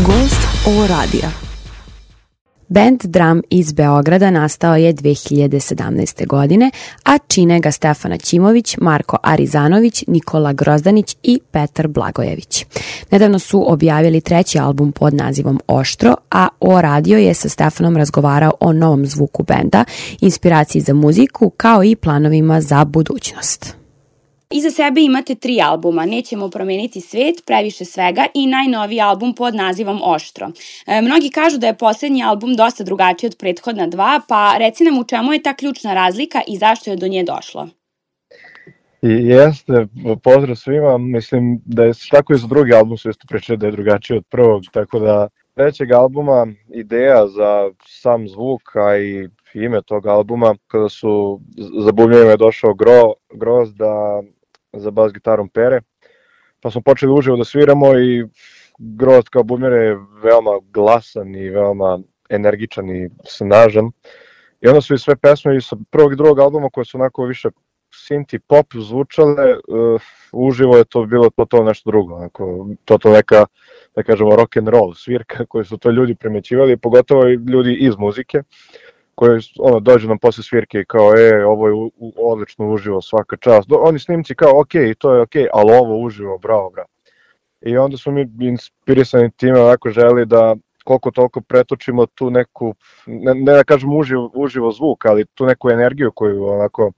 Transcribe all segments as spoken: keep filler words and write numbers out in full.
Gost O radija. Band Drum iz Beograda nastao je dve hiljade sedamnaeste. godine, a čine ga Stefana Ćimović, Marko Arizanović, Nikola Grozdanić i Petar Blagojević. Nedavno su objavili treći album pod nazivom Oštro, a O radio je sa Stefanom razgovarao o novom zvuku benda, inspiraciji za muziku, kao i planovima za budućnost. Iza sebe imate tri albuma, Nećemo promeniti svet, Previše svega i najnoviji album pod nazivom Oštro. E, mnogi kažu da je poslednji album dosta drugačiji od prethodna dva, pa reci nam u čemu je ta ključna razlika i zašto je do nje došlo? I jeste, pozdrav svima, mislim da je tako i za drugi album su isto pričali da je drugačiji od prvog, tako da trećeg albuma ideja za sam zvuk, a i ime tog albuma, kada su za bubnjevima je došao Gro, Groz da za bas gitarom Pere, pa smo počeli uživo da sviramo i Groz kao bubnjar je veoma glasan i veoma energičan i snažan. I onda su i sve pesme i sa prvog i drugog albuma koje su onako više synth i pop zvučale, uh, uživo je to bilo to, to nešto drugo, onako, to to neka, da kažemo, rock and roll svirka koju su to ljudi primećivali, pogotovo i ljudi iz muzike, koji ono, dođu nam posle svirke i kao, e, ovo je u, u, odlično uživo, svaka čast. Do, oni snimci kao, ok, to je ok, ali ovo uživo, bravo, bravo. I onda smo mi inspirisani time, onako želi da koliko toliko pretočimo tu neku, ne, ne da kažem uživo, uživo zvuk, ali tu neku energiju koju onako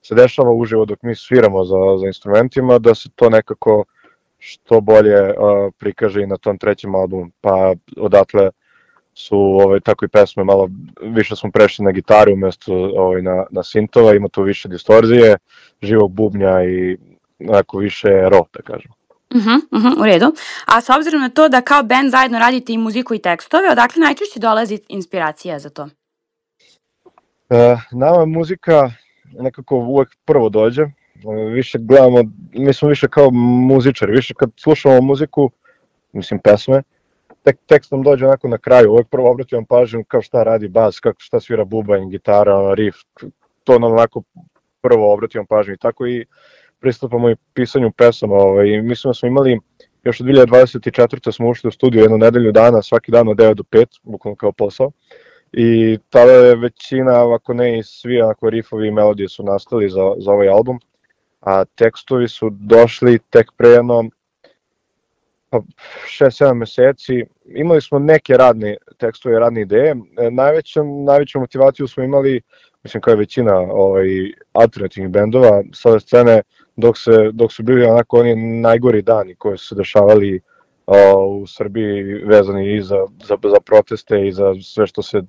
se dešava uživo dok mi sviramo za, za instrumentima, da se to nekako što bolje uh, prikaže i na tom trećem albumu. Pa odatle su ovaj, tako i pesme, malo više smo prešli na gitaru umjesto ovaj, na, na sintova, ima tu više distorzije, živog bubnja i onako više raw, da kažem. Uh-huh, uh-huh, u redu. A s obzirom na to da kao band zajedno radite i muziku i tekstove, odakle najčešće dolazi inspiracija za to? Uh, nama muzika nekako uvek prvo dođe, više gledamo, mi smo više kao muzičari, više kad slušamo muziku, mislim pesme, tek, tekst nam dođe onako na kraju, uvek prvo obratimo pažnju kao šta radi bas, kako šta svira bubanj, gitara, riff, to nam onako prvo obratimo pažnju i tako i pristupamo i pisanju pesama, ovaj, mislim da smo imali, još od dve hiljade dvadeset četvrte smo ušli u studiju jednu nedelju dana, svaki dan od devet do pet, bukvalno kao posao. I tada je većina, ako ne i svi onako riffovi i melodije su nastali za, za ovaj album, a tekstovi su došli tek pre jedno šest sedam meseci. Imali smo neke radne tekstove, radne ideje. Najveću, najveću motivaciju smo imali, mislim kao je većina ovaj, alternativnih bendova sa ove scene, dok, se, dok su bili onako oni najgori dani koji su se dešavali o, u Srbiji vezani i za, za, za proteste i za sve što se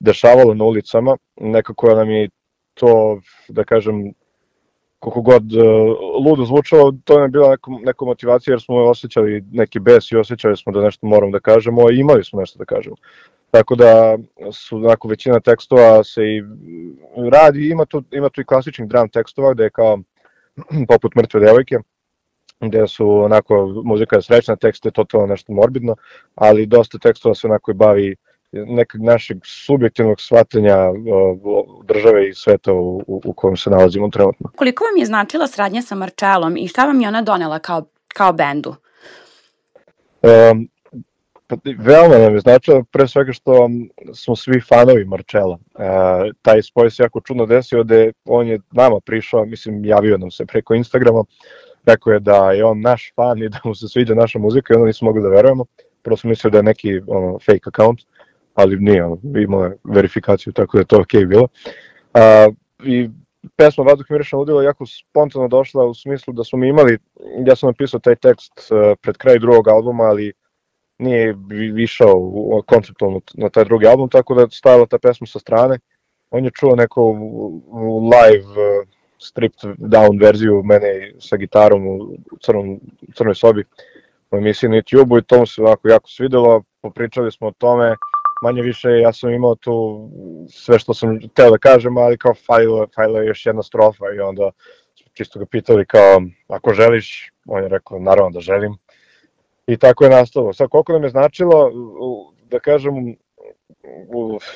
dešavalo na ulicama. Nekako nam je to, da kažem, koliko god uh, ludo zvučalo, to nam je bila neka, neka motivacija jer smo osjećali neki bes i osjećali smo da nešto moramo da kažemo i imali smo nešto da kažemo. Tako da su onako većina tekstova se i radi, ima tu, ima tu i klasičnih drum tekstova gde je kao poput Mrtve devojke, gde su onako muzika je srećna, tekst je totalno nešto morbidno, ali dosta tekstova se onako i bavi nekog našeg subjektivnog shvatanja države i sveta u, u, u kojem se nalazimo trenutno. Koliko vam je značila saradnja sa Marčelom i šta vam je ona donela kao, kao bendu? Um, pa, veoma nam je značila, pre svega što smo svi fanovi Marčela. Uh, taj spoj se jako čudno desio da on je nama prišao, mislim javio nam se preko Instagrama, rekao je da je on naš fan i da mu se sviđa naša muzika i onda nismo mogli da verujemo. Prvo smo mislili da je neki ono, fake account, ali nije, ono, imao je verifikaciju, tako da je to okej okay bilo. Uh, I pesma Vazduh miriše na ludilo je jako spontano došla u smislu da smo mi imali, ja sam napisao taj tekst uh, pred kraj drugog albuma, ali nije išao konceptualno na taj drugi album, tako da je stajala ta pesma sa strane. On je čuo neku live uh, stripped down verziju mene sa gitarom u crnom, crnoj sobi u emisiji na YouTube-u i to mu se ovako jako svidelo, popričali smo o tome, manje više ja sam imao tu sve što sam hteo da kažem, ali kao fajla, fajla je još jedna strofa i onda smo čisto ga pitali kao ako želiš, on je rekao naravno da želim i tako je nastalo. Sad koliko nam je značilo, da kažem,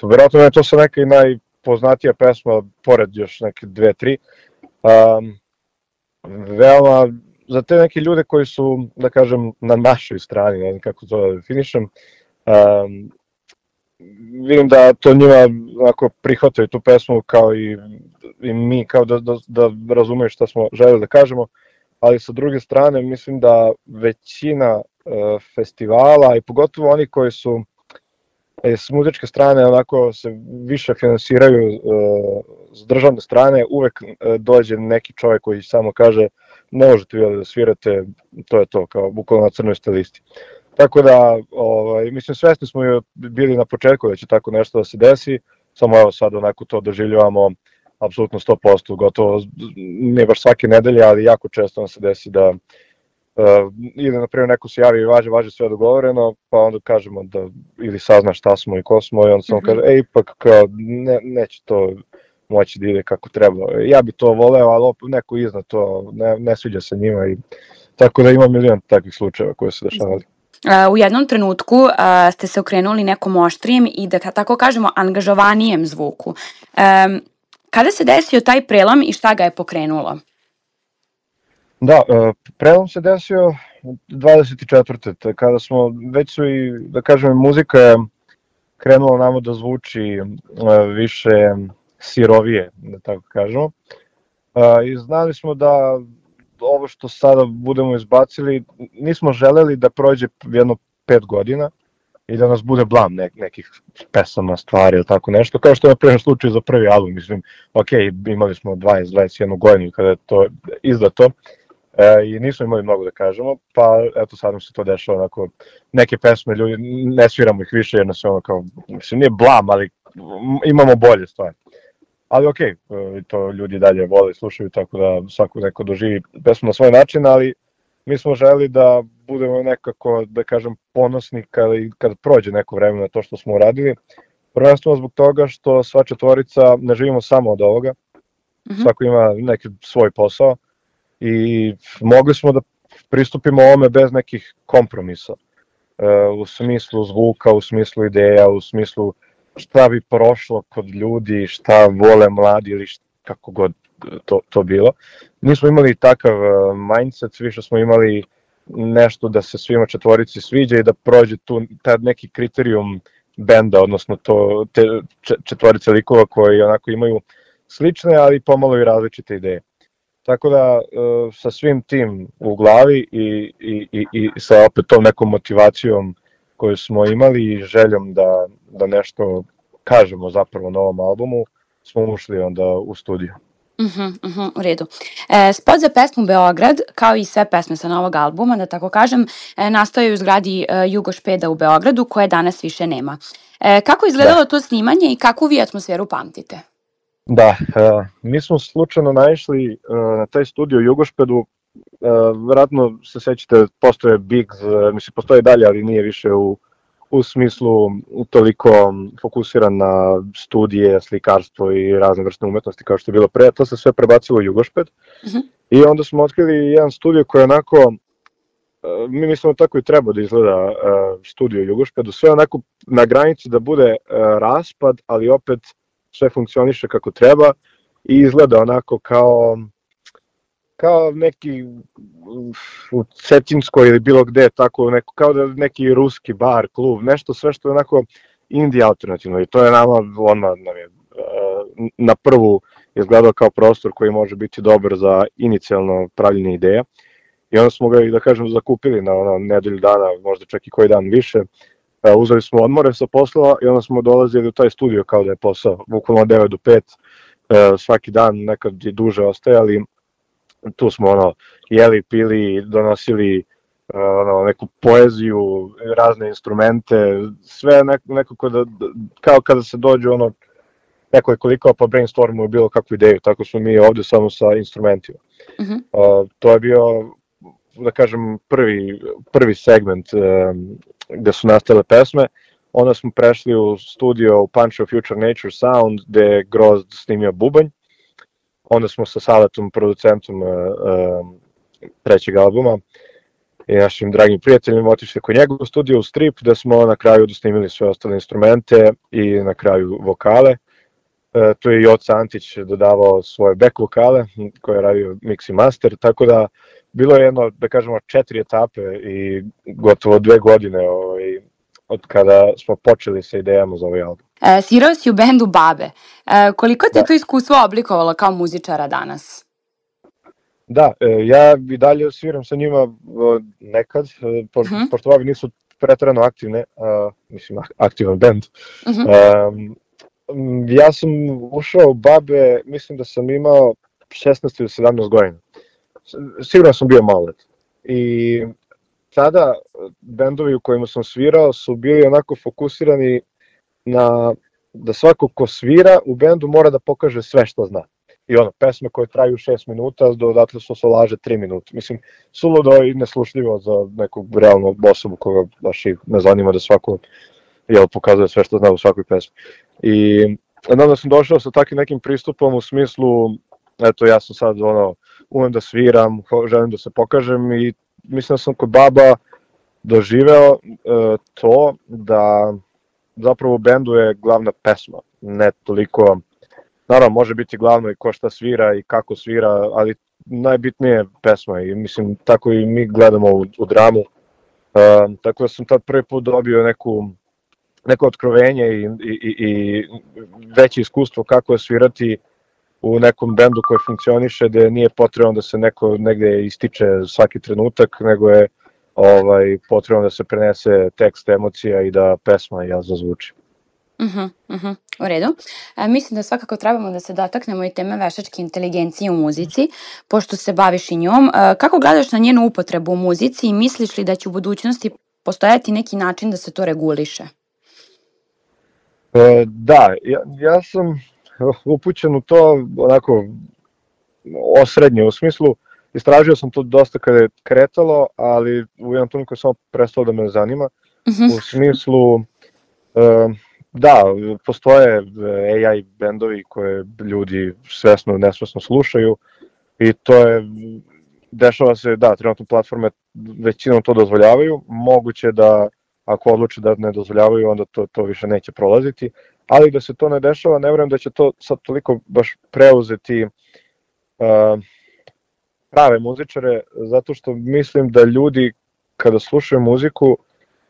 verovatno je to sa neka i najpoznatija pesma, pored još neke dve, tri, um, veoma za te neke ljude koji su, da kažem, na našoj strani, ne znam kako to da definišem, um, vidim da to njima onako prihvataju tu pesmu kao i, i mi, kao da, da, da razumeju šta smo želeli da kažemo, ali sa druge strane mislim da većina uh, festivala i pogotovo oni koji su e, s muzičke strane onako se više finansiraju uh, s državne strane, uvek uh, dođe neki čovjek koji samo kaže ne možete vi da svirate, to je to, kao bukvalno na crnoj ste listi. Tako da, ovaj, mislim, svesni smo i bili na početku da će tako nešto da se desi, samo evo sad onako to doživljavamo apsolutno sto posto, gotovo ne baš svake nedelje, ali jako često nam se desi da uh, ili na primjer neko se javi i važe, važe sve dogovoreno, pa onda kažemo da ili sazna šta smo i ko smo i onda samo mm-hmm. kaže, e ipak kao, ne, neće to moći da ide kako treba. Ja bi to voleo, ali opet neko iznad to ne, ne sviđa se njima i tako da ima milion takvih slučajeva koje se dešavali. U jednom trenutku uh, ste se okrenuli nekom oštrijem i da tako kažemo angažovanijem zvuku. Um, kada se desio taj prelom i šta ga je pokrenulo? Da, uh, prelom se desio dvadeset četvrte kada smo već su i, da kažem, muzika je krenula nama da zvuči uh, više sirovije, da tako kažemo. Uh, I znali smo da ovo što sada budemo izbacili, nismo želeli da prođe jedno pet godina i da nas bude blam nek, nekih pesama, stvari ili tako nešto, kao što je na primjer slučaj za prvi album, mislim, ok, imali smo dvadeset dvadeset jednu godinu kada je to izdato e, i nismo imali mnogo da kažemo, pa eto sad nam se to dešava, onako, neke pesme ljudi, ne sviramo ih više jer nas je ono kao, mislim, nije blam, ali imamo bolje stvari. Ali ok, to ljudi dalje vole i slušaju, tako da svako neko doživi pesmu na svoj način, ali mi smo želi da budemo nekako, da kažem, ponosni kada, kada prođe neko vreme na to što smo uradili. Prvenstveno zbog toga što sva četvorica ne živimo samo od ovoga, mm-hmm. svako ima neki svoj posao i mogli smo da pristupimo ovome bez nekih kompromisa, u smislu zvuka, u smislu ideja, u smislu šta bi prošlo kod ljudi, šta vole mladi ili šta, kako god to, to bilo. Nismo imali takav mindset, više smo imali nešto da se svima četvorici sviđa i da prođe tu tad neki kriterijum benda, odnosno to, te četvorice likova koji onako imaju slične, ali pomalo i različite ideje. Tako da sa svim tim u glavi i, i, i, i sa opet tom nekom motivacijom koju smo imali i željom da, da nešto kažemo zapravo na ovom albumu, smo ušli onda u studio. Uh-huh, uh-huh, u redu. E, spot za pesmu Beograd, kao i sve pesme sa novog albuma, da tako kažem, e, nastao je u zgradi e, Jugošpeda u Beogradu, koje danas više nema. E, kako je izgledalo da. to snimanje i kakvu vi atmosferu pamtite? Da, e, mi smo slučajno naišli e, na taj studio u Jugošpedu. Uh, vjerojatno se sećate, postoje Bigs, uh, mislim postoje dalje, ali nije više u, u smislu toliko fokusiran na studije, slikarstvo i razne vrste umetnosti kao što je bilo pre, to se sve prebacilo u Jugošped. Uh-huh. I onda smo otkrili jedan studio koji je onako, uh, mi mislimo tako i treba da izgleda uh, studio u Jugošpedu, sve onako na granici da bude uh, raspad, ali opet sve funkcioniše kako treba i izgleda onako kao kao neki u Cetinskoj ili bilo gde, tako neko, kao da neki ruski bar, klub, nešto sve što je onako indie alternativno i to je nama odmah nam je, na prvu izgledao kao prostor koji može biti dobar za inicijalno pravljenje ideja i onda smo ga i da kažem zakupili na ono, nedelju dana, možda čak i koji dan više, uzeli smo odmore sa poslova i onda smo dolazili u taj studio kao da je posao, bukvalno devet do pet, svaki dan nekad je duže ostajali. Tu smo ono jeli, pili, donosili ono, neku poeziju, razne instrumente, sve nekako da, kao kada se dođe ono, neko je koliko pa brainstormuju bilo kakvu ideju, tako smo mi ovde samo sa instrumentima. Uh-huh. Uh, to je bio, da kažem, prvi, prvi segment um, gde su nastale pesme. Onda smo prešli u studio u Punch of Future Nature Sound gde je Grozd snimio bubanj. Onda smo sa Saletom, producentom uh, uh, trećeg albuma i našim dragim prijateljima otišli kod njegov studio u Strip, gde smo na kraju dosnimili sve ostale instrumente i na kraju vokale. Uh, tu je Joca Antić dodavao svoje back vokale koje je radio mix i master, tako da bilo je jedno, da kažemo, četiri etape i gotovo dve godine ovaj, od kada smo počeli sa idejama za ovaj album. E, svirao si u bendu Babe. E, koliko te Da. to iskustvo oblikovalo kao muzičara danas? Da, e, ja i dalje sviram sa njima o, nekad, e, po, Mhm. pošto Babe nisu preterano aktivne, a, mislim aktivan bend. Mhm. Um, ja sam ušao u Babe, mislim da sam imao šesnaest ili sedamnaest godina. Sigurno sam bio malolet. I tada bendovi u kojima sam svirao su bili onako fokusirani na da svako ko svira u bendu mora da pokaže sve što zna. I ono, pesme koje traju šest minuta, dodatle su solaže tri minuta. Mislim, suludo i neslušljivo za nekog realnog osobu koga baš i ne zanima da svako jel, pokazuje sve što zna u svakoj pesmi. I onda sam došao sa takvim nekim pristupom u smislu, eto ja sam sad ono, umem da sviram, želim da se pokažem i mislim da sam kod Baba doživeo e, to da zapravo u bendu je glavna pesma, ne toliko, naravno može biti glavno i ko šta svira i kako svira, ali najbitnije je pesma i mislim tako i mi gledamo u, u dramu, e, tako da sam tad prvi put dobio neku, neko otkrovenje i, i, i, i veće iskustvo kako je svirati u nekom bendu koji funkcioniše, gde nije potrebno da se neko negde ističe svaki trenutak, nego je ovaj, potrebno da se prenese tekst, emocija i da pesma ja zazvuči. Mhm, mhm, u redu. E, mislim da svakako trebamo da se dotaknemo i teme veštačke inteligencije u muzici, pošto se baviš i njom. E, kako gledaš na njenu upotrebu u muzici i misliš li da će u budućnosti postojati neki način da se to reguliše? E, da, ja, ja sam upućen u to onako osrednje, u smislu istražio sam to dosta kada je kretalo, ali u jednom trenutku samo prestalo da me zanima, Mhm. u smislu e, da, postoje A I bendovi koje ljudi svesno, nesvesno slušaju i to je, dešava se, da, trenutno platforme većinom to dozvoljavaju, moguće da ako odluče da ne dozvoljavaju, onda to, to više neće prolaziti, ali da se to ne dešava, ne vjerujem da će to sad toliko baš preuzeti uh, prave muzičare, zato što mislim da ljudi kada slušaju muziku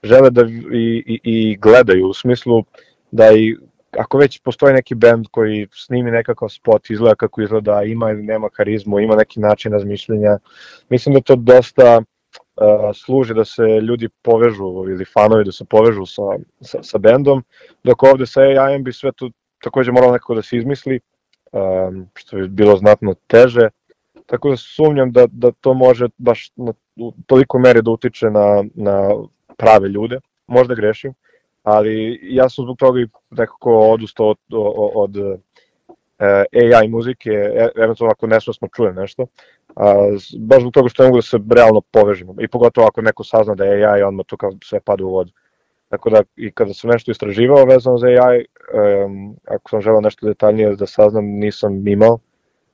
žele da i, i, i gledaju, u smislu da i ako već postoji neki bend koji snimi nekakav spot, izgleda kako izgleda, ima ili nema karizmu, ima neki način razmišljenja, mislim da to dosta uh, služi da se ljudi povežu ili fanovi da se povežu sa, sa, sa bendom, dok ovde sa A I-em bi sve to takođe moralo nekako da se izmisli, um, što bi bilo znatno teže, tako da sumnjam da, da to može baš na, u toliko meri da utiče na, na prave ljude, možda grešim, ali ja sam zbog toga i nekako odustao od, od, od uh, A I muzike, eventualno ako nesvesno čujem nešto, a, baš zbog toga što ne mogu da se realno povežemo i pogotovo ako neko sazna da je A I, odmah to kao sve pada u vodu. Tako da i kada sam nešto istraživao vezano za A I, um, ako sam želeo nešto detaljnije da saznam, nisam imao,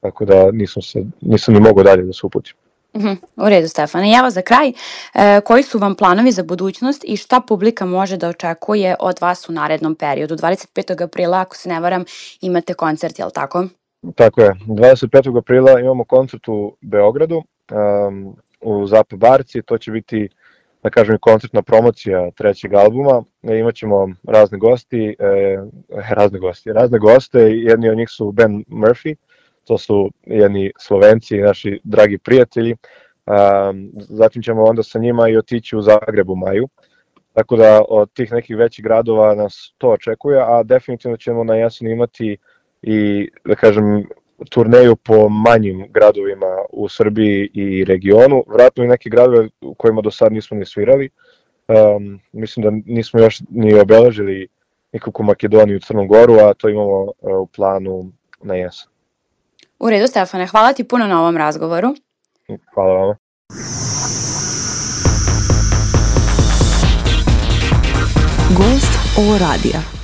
tako da nisam, se, nisam ni mogao dalje da se uputim. Mhm, u redu, Stefane. I evo za kraj, e, koji su vam planovi za budućnost i šta publika može da očekuje od vas u narednom periodu? dvadeset petog aprila, ako se ne varam, imate koncert, jel tako? Tako je, dvadeset petog aprila imamo koncert u Beogradu, um, u Zapa Barci, to će biti, da kažem, koncertna promocija trećeg albuma, e, imaćemo razne gosti, e, razne gosti, razne goste, jedni od njih su Ben Murphy, to su jedni Slovenci i naši dragi prijatelji, um, zatim ćemo onda sa njima i otići u Zagreb u maju, tako da od tih nekih većih gradova nas to očekuje, a definitivno ćemo na jesen imati i, da kažem, turneju po manjim gradovima u Srbiji i regionu, vratno i neke gradove u kojima do sad nismo ni svirali, um, mislim da nismo još ni obeležili nikakvu Makedoniju i Crnu Goru, a to imamo uh, u planu na jesen. U redu, Stefane, hvala ti puno na ovom razgovoru. Hvala vama. Gost ovo radija.